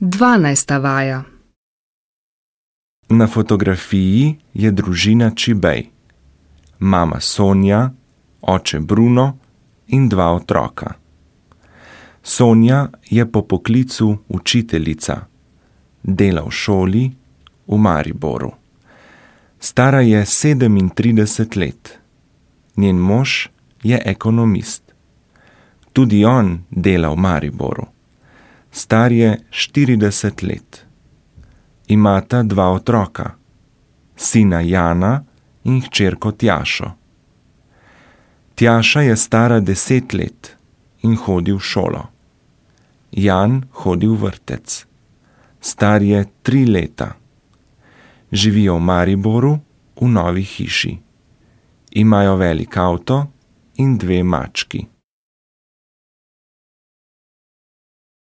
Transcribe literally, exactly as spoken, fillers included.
Dvanajsta vaja. Na fotografiji je družina Čibej. Mama Sonja, oče Bruno in dva otroka. Sonja je po poklicu učiteljica. Dela v šoli v Mariboru. Stara je sedemintrideset let. Njen mož je ekonomist. Tudi on dela v Mariboru. Star je štirideset let. Imata dva otroka, sina Jana in hčerko Tjašo. Tjaša je stara deset let in hodi v šolo. Jan hodi v vrtec. Star je tri leta. Živijo v Mariboru v novi hiši. Imajo velik avto in dve mački.